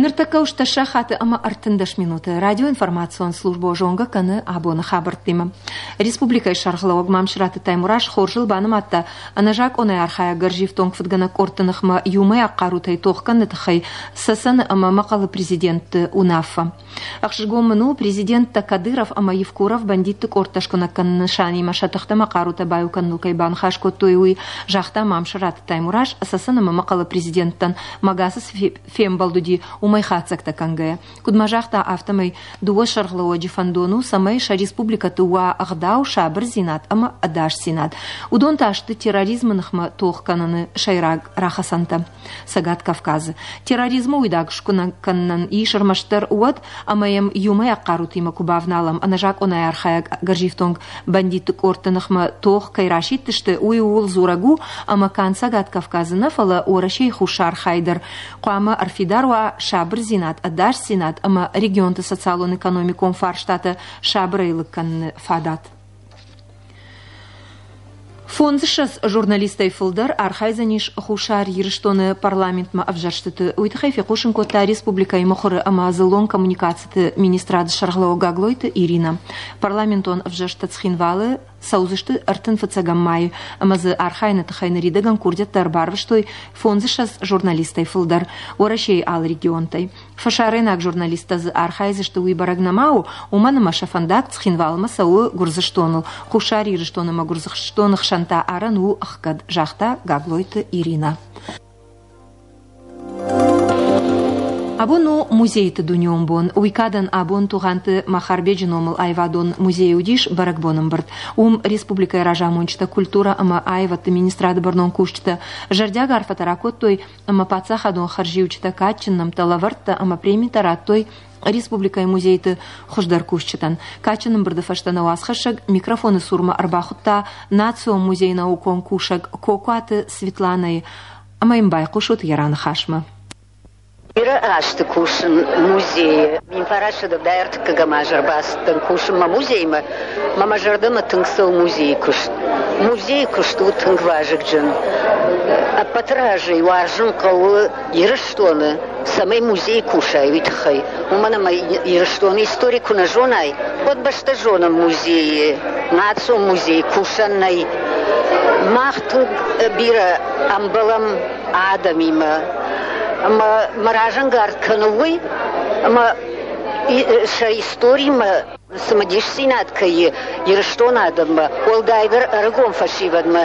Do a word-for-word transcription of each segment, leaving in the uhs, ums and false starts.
Ныртӕккӕ у ӕстдӕс сахаты ӕмӕ ӕртындӕс минуты. Радиоинформацион службӕ зонгӕ кӕны абоны хабӕрттимӕ. Республикӕйы сӕргълӕууӕг Мамсыраты Таймураз хорзыл банымадта ӕнӕзакъонӕй архайӕг гӕрзифтонг фыдгӕнӕг къордты ныхмӕ иумӕйаг хъарутӕй тох кӕныны тыххӕй Цӕцӕны ӕмӕ Мӕхъӕлы президентты уынаффӕ. Ӕхсызгон мын у, президенттӕ Кадыров ӕмӕ Евкуров бандитты къордтӕ скуынӕг кӕныны нысанимӕ сӕ тыхтӕ ӕмӕ хъарутӕ баиу кӕныныл кӕй баныхас кодтой, уый, загъта Мамсыраты Таймураз Цӕцӕн ӕмӕ Мӕхъӕлы президенттӕн Магасы цы фембӕлд уыди, уымӕй хатдзӕгтӕ кӕнгӕйӕ. Куыд ма загъта, афтӕмӕй дыууӕ сӕргълӕууӕджы фӕндон у, цӕмӕй сӕ республикӕты уа ӕгъдау, сабырдзинад ӕмӕ ӕдасдзинад. Уыдон та сты терроризмы ныхмӕ тох кӕныны сӕйраг рахӕцӕнтӕ. Цӕгат Кавказы терроризмы уидаг скуынӕг кӕнынӕн ис ӕрмӕстдӕр уӕд, ӕмӕ йӕм иумӕйаг хъарутимӕ куы бавналӕм. Ӕнӕзакъонӕй архайӕг гӕрзифтонг бандитты къордты ныхмӕ тох кӕй расидтысты, уый ууыл дзурӕг у, ӕмӕ канд Цӕгат Кавказы нӕ, фӕлӕ Уӕрӕсейы хуссар хайы дӕр хъуамӕ ӕрфидар уа сабырдзинад, ӕдасдзинад ӕмӕ регионты социалон-экономикон фарстатӕ сабырӕй лыг кӕныны фадат. Фондзыссӕдз журналистӕй фылдӕр архайдзӕнис Хуссар Ирыстоны парламентмӕ ӕвзӕрстыты. Уый тыххӕй фехъусын кодта республикӕйы мыхуыры ӕмӕ дзыллон коммуникациты министрады сӕргълӕууӕг Гаглойты Иринӕ. Парламентон ӕвзӕрстытӕ Цхинвалы цӕудзысты ӕртын фыццӕгӕм майы ӕмӕ дзы архайыны тыххӕй ныридӕгӕн курдиӕттӕ ӕрбарвыстой фондзыссӕдз журналистӕй фылдӕр Уӕрӕсейы алы регионтӕй. Фӕсарӕйнаг журналисттӕ дзы архайдзысты, уый бӕрӕг нӕма у, уымӕн ӕмӕ сӕ фӕндаг Цхинвалмӕ цӕуы Гуырдзыстоныл. Хуссар Ирыстон ӕмӕ Гуырдзыстоны хсӕн та арӕн у ӕхгӕд, загъта Гаглойты Иринӕ. Абон у музейты дунеон бон. Уый кадӕн абон Тугъанты Махарбеджы номыл аивадон музейы уыдис бӕрӕгбон ӕмбырд. Уым республикӕйы разамонджытӕ, культурӕ ӕмӕ аивӕдты министрады бӕрнон кусджытӕ зӕрдиаг арфӕтӕ ракодтой ӕмӕ паддзахадон хӕрзиуджытӕ, кадджын нӕмттӕ, лӕвӕрттӕ ӕмӕ премитӕ радтой республикӕйы музейты хуыздӕр кусджытӕн. Кадджын ӕмбырды фӕстӕ нӕ уацхӕссӕг микрофоны цурмӕ ӕрбахуыдта национ музейы наукон кусӕг Кокуаты Светланӕйы ӕмӕ йын байхъусут йӕ раныхасмӕ. Бирӕ азты кусын музейы. Мин фарастӕ ӕртыккӕгӕм аз ӕрбацыдтӕн кусынмӕ музеймӕ. Мӕ мӕ зӕрдӕмӕ тынг цӕуы музейы куыст. Музейы куыст у тынг вазыгджын. Ӕппӕты разӕй уарзын хъӕуы Ирыстоны, цӕмӕй музейы кусай, уый тыххӕй. Уымӕн ӕмӕ Ирыстоны истори куы нӕ зонай, уӕд бӕстӕ зоны музейы, национ музейы кусӕн нӕй. Мах тынг бирӕ ӕмбӕлӕм адӕмимӕ. Ӕмӕ мӕ разӕнгард кӕны уый, ӕмӕ сӕ историмӕ цымыдисдзинад кӕй и Ирыстоны адӕммӕ, уӕлдайдӕр ӕрыгон фӕсивӕдмӕ,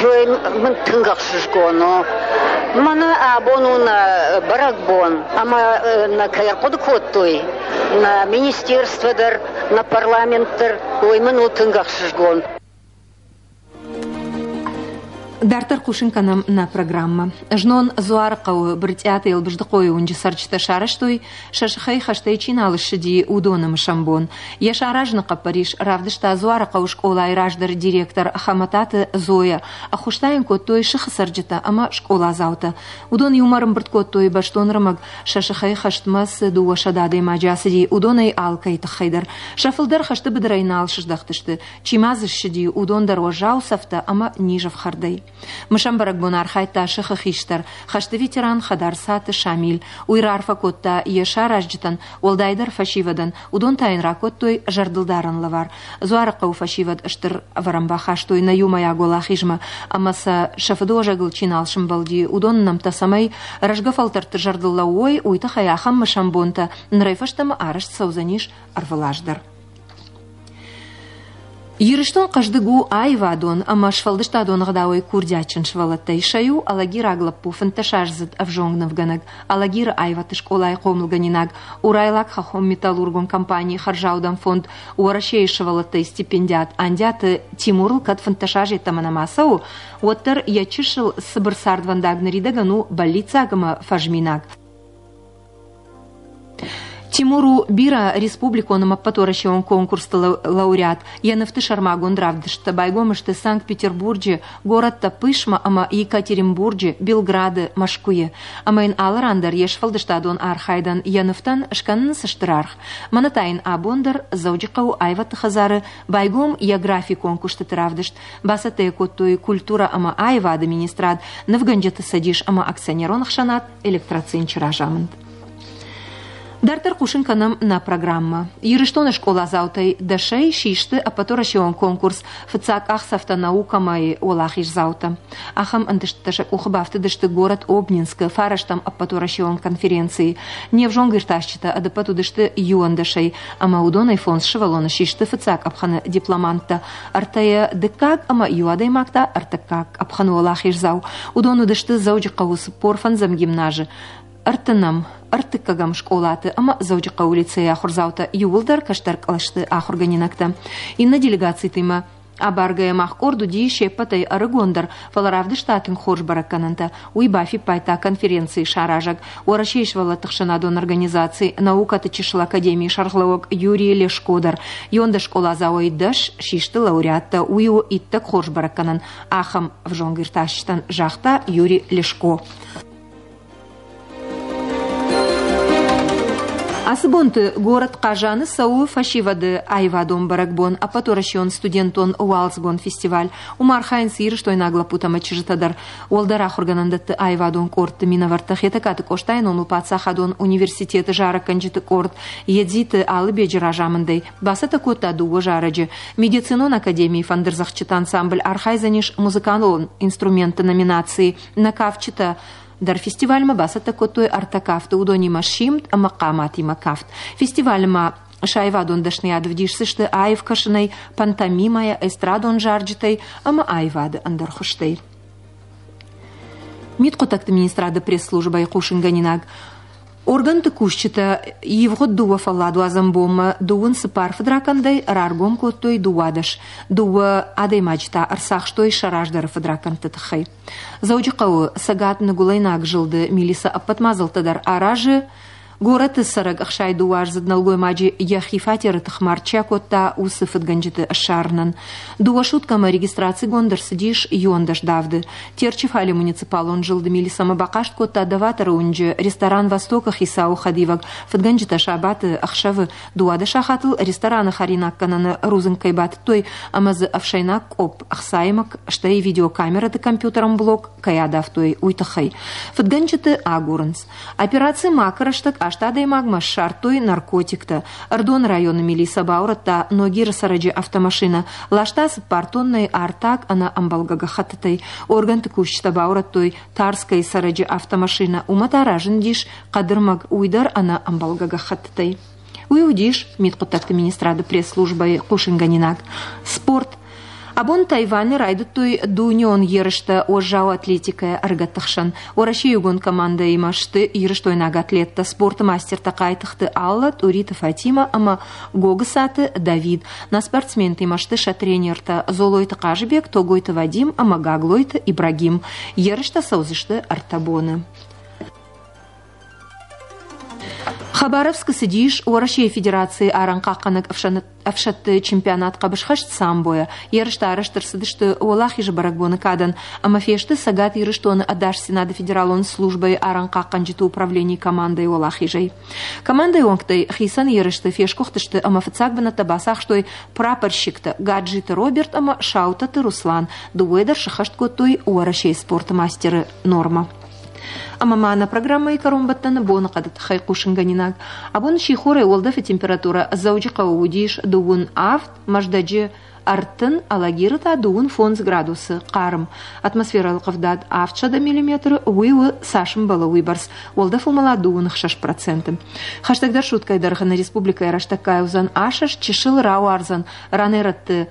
уый мын тынг ӕхсызгон у. Мӕнӕ абон у нӕ бӕрӕгбон, ӕмӕ нӕ кӕй ӕрхъуыды кодтой, нӕ министерство дӕр, нӕ парламент дӕр, уый мын у тынг ӕхсызгон. Дарддӕр хъусын кӕнӕм нӕ программӕ. Знон Дзуарыхъӕуы Брытъиаты Елбыздыхъойы уынджы цӕрджытӕ сарӕзтой, сӕ сыхӕй хӕстӕй чи нал ссыди, уыдоны мысӕн бон. Йӕ саразыны хъӕппӕрис равдыста Дзуарыхъӕуы скъолайы раздӕры директор Хӕмӕтаты Зоя. Ӕххуыс та йын кодтой сыхы цӕрджытӕ ӕмӕ скъоладзаутӕ. Уыдон иумӕ ӕрӕмбырд кодтой бӕстон ӕрмӕг, сӕ сыхӕй хӕстмӕ цы дыууӕсӕдӕ адӕймаджы ацыди, уыдонӕй алкӕй тыххӕй дӕр. Сӕ фылдӕр хӕсты быдырӕй нал сыздӕхтысты. Чи ма дзы ссыди, уыдон дӕр уӕззау цӕфтӕ ӕмӕ низӕфхӕрдӕй. Мысӕн бӕрӕгбон архайдта сыхы хистӕр, хӕсты ветеран Хӕдарцаты Шамил. Уый раарфӕ кодта йӕ саразджытӕн, уӕлдайдӕр фӕсивӕдӕн. Уыдон та йын ракодтой зӕрдылдарӕн лӕвар. Дзуарыхъӕуы фӕсивӕд стыр ӕвӕрӕн бахастой нӕ иумӕйаг уӕлахизмӕ ӕмӕ сӕ сӕ фыдыуӕзӕгыл чи нал сымбӕлди, уыдоны нӕмттӕ цӕмӕй рӕзгӕ фӕлтӕрты зӕрдыл лӕууой, уый тыххӕй ахӕм мысӕн бонтӕ нырӕй фӕстӕмӕ арӕзт цӕудзӕнис ӕрвылаз дӕр. Ирыстон хъӕздыг у аивадон ӕмӕ сфӕлдыстадон ӕгъдауӕй курдиатджын сывӕллӕттӕй. Сӕ иу алагираг лӕппу, фынддӕсаздзыд ӕвзонг нывгӕнӕг, Алагиры аивӕдты скъолайы хъомылгӕнинаг, Урайлаг хӕххон-металлургон компанийы хӕрзаудӕн фонд Уӕрӕсейы сывӕллӕттӕй стипендиат Андиаты Тимурыл кӕд фынддӕс азы йеддӕмӕ нӕма цӕуы, уӕддӕр йӕ чысыл цыбыр цардвӕндаг ныридӕгӕн у бӕллиццаг ӕмӕ фӕзминаг. Тимур у бирӕ республикон ӕмӕ ӕппӕтуӕрӕсеон конкурсты лауреат. Йӕ нывты сӕрмагонд равдысттӕ байгом сты Санкт-Петербурджы, горӕттӕ Пышма ӕмӕ Екатеринбурджы, Белграды, Мӕскуыйы. Ӕмӕ йын алы ран дӕр йе сфӕлдыстадон архайдӕн йӕ нывтӕн скӕнынц стыр аргъ. Мӕнӕ та йын абон дӕр Дзӕуджыхъӕуы аивӕдты хӕдзары байгом йӕ графикон куыстыты равдыст. Бацӕттӕ йӕ кодтой культурӕ ӕмӕ аивады министрад, нывгӕнджыты цӕдис ӕмӕ акционерон ӕхсӕнад Электроцинчы разамынд. Дарддӕр хъусын кӕнӕм нӕ программӕ. Ирыстоны скъоладзаутӕй дӕсӕй систы ӕппӕтуӕрӕсеон конкурс «Фыццаг къахдзӕфтӕ наукӕмӕ-йы уӕлахиздзаутӕ. Ахӕм ӕнтыстытӕ сӕ къухы бафтыдысты горӕт Обнинскы фарӕстӕм ӕппӕтуӕрӕсеон конференцийы. Не взонг иртасджытӕ ӕдӕппӕт уыдысты иуӕндӕсӕй, ӕмӕ уыдонӕй фондз сывӕллоны систы фыццаг къӕпхӕны дипломанттӕ, ӕртӕйӕ дыккаг ӕмӕ иу адӕймаг та ӕртыккаг къӕпхӕны уӕлахиздзау. Уыдон уыдысты Дзӕуджыхъӕуы цыппор фӕндзӕм гимназы ӕртынӕм, ӕртыккӕгӕм скъолаты ӕмӕ Дзӕуджыхъӕуы лицейы ахуырдзаутӕ, иууылдӕр кӕстӕр кълӕсты ахуыргӕнинӕгтӕ. Иннӕ делегацитимӕ абаргӕйӕ мах къорд уыди се ппӕтӕй ӕрыгондӕр, фӕлӕ равдыста тынг хорз бӕрӕггӕнӕнтӕ. Уый бафиппайдта конференцийы саразӕг, Уӕрӕсейы сывӕллӕтты ӕхсӕнадон организаци «Наукӕты чысыл академийы» сӕргълӕууӕг Юрий Лешко дӕр. Иуӕндӕс скъоладзауӕй дӕс систы лауреаттӕ. Уый у иттӕг хорз бӕрӕггӕнӕн ахӕм ӕвзонг иртасджытӕн, загъта Юрий Лешко. Ацы бонты горӕт Хъазаны цӕуы фӕсивӕды аивадон бӕрӕгбон, ӕппӕтуӕрӕсеон студентон уалдзыгон фестиваль. Уым архайынц ирыстойнаг лӕппутӕ ӕмӕ чызджытӕ дӕр. Уӕлдӕр ахуыргӕнӕндӕтты аивадон къордты минӕвӕрттӕ Хетӕгкаты Къостайы номыл паддзахадон университеты зарӕггӕнджыты къорд Едзиты Алыбеджы разамындӕй бацӕттӕ кодта дыууӕ зарӕджы. Медицинон академийы фӕндырдзӕгъдджыты ансамбль архайдзӕнис музыкалон инструментты номинацийы. Нӕ кафджытӕ дӕр фестивальмӕ бацӕттӕ кодтой ӕртӕ кафты, уыдонимӕ симд ӕмӕ хъаматимӕ кафт. Фестивалы ма сӕ аивадон дӕсныйад ӕвдисдзысты аив кӕсынӕй, пантомимӕйӕ, эстрадон зарджытӕй ӕмӕ аивады ӕндӕр хуызтӕй. Мидхъуыддӕгты министрады пресс-службӕйы хъусынгӕнинаг. Органты кусджытӕ ивгъуыд дыууӕ фӕлладуадзӕн бонмӕ дыууын цыппар фыдракӕндӕй раргом кодтой дыууадӕс. Дыууӕ адӕймаджы та ӕрцахстой сӕ раздӕры фыдракӕндты тыххӕй. Дзӕуджыхъӕуы цӕгат-ныгуылӕйнаг зылды милицӕ ӕппӕт мадзӕлттӕ дӕр аразы горӕты цӕрӕг ӕхсай дыууӕаздзыд нӕлгоймаджы йӕхи фатеры тыхмард чи акодта, уыцы фыдгӕнджыты ссарынӕн. Дыууӕ суткӕмӕ регистрацигонд ӕрцыдис иуӕндӕс давды. Терчы фале муниципалон зылды милицӕмӕ бахъаст кодта Доваторы уынджы ресторан «Восток»-ы хицауы хӕдивӕг. Фыдгӕнджытӕ сабаты ӕхсӕвы дыууадӕс сахатыл рестораны хӕринаггӕнӕны рудзынг кӕй батыдтой ӕмӕ дзы ӕфсӕйнаг къопп ӕхцаимӕ, стӕй видеокамерӕты компьютерон блок кӕй адавтой, уый тыххӕй. Фыдгӕнджыты агурынц. Операци «Мак» рӕстӕг аст адӕймагмӕ ссардтой наркотиктӕ. Ӕрыдоны районы милицӕ баурӕдта Ногиры цӕрӕджы автомашинӕ. Ласта цыппар тоннӕйы артаг ӕнӕ ӕмбӕлгӕ гӕххӕттытӕй. Органты кусджытӕ баурӕдтой Тарскӕйы цӕрӕджы автомашинӕ. Уымӕ та разындис хъӕдырмӕг, уый дӕр ӕнӕ ӕмбӕлгӕ гӕххӕттытӕй. Уый уыдис мидхъуыддӕгты министрады пресс-службӕйы хъусынгӕнинаг. Спорт. Абон Тайваны райдыдтой дунеон ерыстӕ уӕззау атлетикӕйӕ ӕрыгӕтты хсӕн. Уӕрӕсейы иугонд командӕимӕ сты ирыстойнаг атлеттӕ, спорты мастертӕ Хъайтыхъты Алла, Тъуриты Фатимӕ ӕмӕ Гогысаты Давид. Нӕ спортсментимӕ сты сӕ тренертӕ Золойты Хъазыбег, Тогойты Вадим ӕмӕ Гаглойты Ибрагим. Ерыстӕ цӕудзысты ӕртӕ боны. Хабаровскы цыдис Уӕрӕсейы Федерацийы арӕнхъахъхъӕнӕг ӕфсӕдты чемпионат хъӕбысхӕст самбойӕ. Ерыстӕ арӕзт ӕрцыдысты Уӕлахизы бӕрӕгбоны кадӕн ӕмӕ фесты Цӕгат Ирыстоны ӕдасдзинады федералон службӕйы арӕнхъахъхъӕнджыты управленийы командӕйы уӕлахизӕй. Командӕйы уӕнгтӕй хицӕн ерысты фесгуыхтысты ӕмӕ фыццаг бынӕттӕ бацахстой прапорщиктӕ Гаджиты Роберт ӕмӕ Саутӕты Руслан. Дыууӕ дӕр сӕххӕст кодтой Уӕрӕсейы спорты мастеры нормӕ. Ӕмӕ ма нӕ программӕйы кӕронбӕттӕны боныхъӕды тыххӕй хъусынгӕнинаг. Абон сихорӕй уӕлдӕфы температурӕ Дзӕуджыхъӕуы уыдис дыууын авд, Мӕздӕджы ӕртын, Алагиры та дыууын фондз градусы хъарм. Атмосферӕйы ӕлхъывдад авдсӕдӕ миллиметры, уый у цас ӕмбӕлы, уыйбӕрц. Уӕлдӕф уымӕлад дыууын ӕхсӕз проценты. Хӕстӕгдӕр суткӕйы дӕргъы нӕ республикӕйы рӕстӕггай уыдзӕн асӕст, чысыл рауардзӕн, ранӕй-рӕтты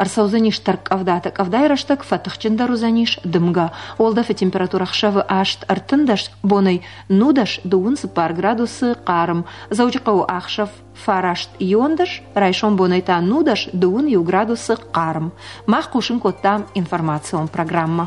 ӕрцӕудзӕнис тӕрккъӕвдатӕ. Къӕвдайы рӕстӕг фӕтыхджындӕр уыдзӕнис дымгӕ. Уӕлдӕфы температурӕ ӕхсӕвы аст ӕртындӕс, бонӕй нудӕс дыууын цыппар градусы хъарм. Дзӕуджыхъӕуы ӕхсӕв фараст иуӕндӕс, райсом бонӕй та нудӕс дыууын иу градусы хъарм. Мах хъусын кодтам информацион программӕ.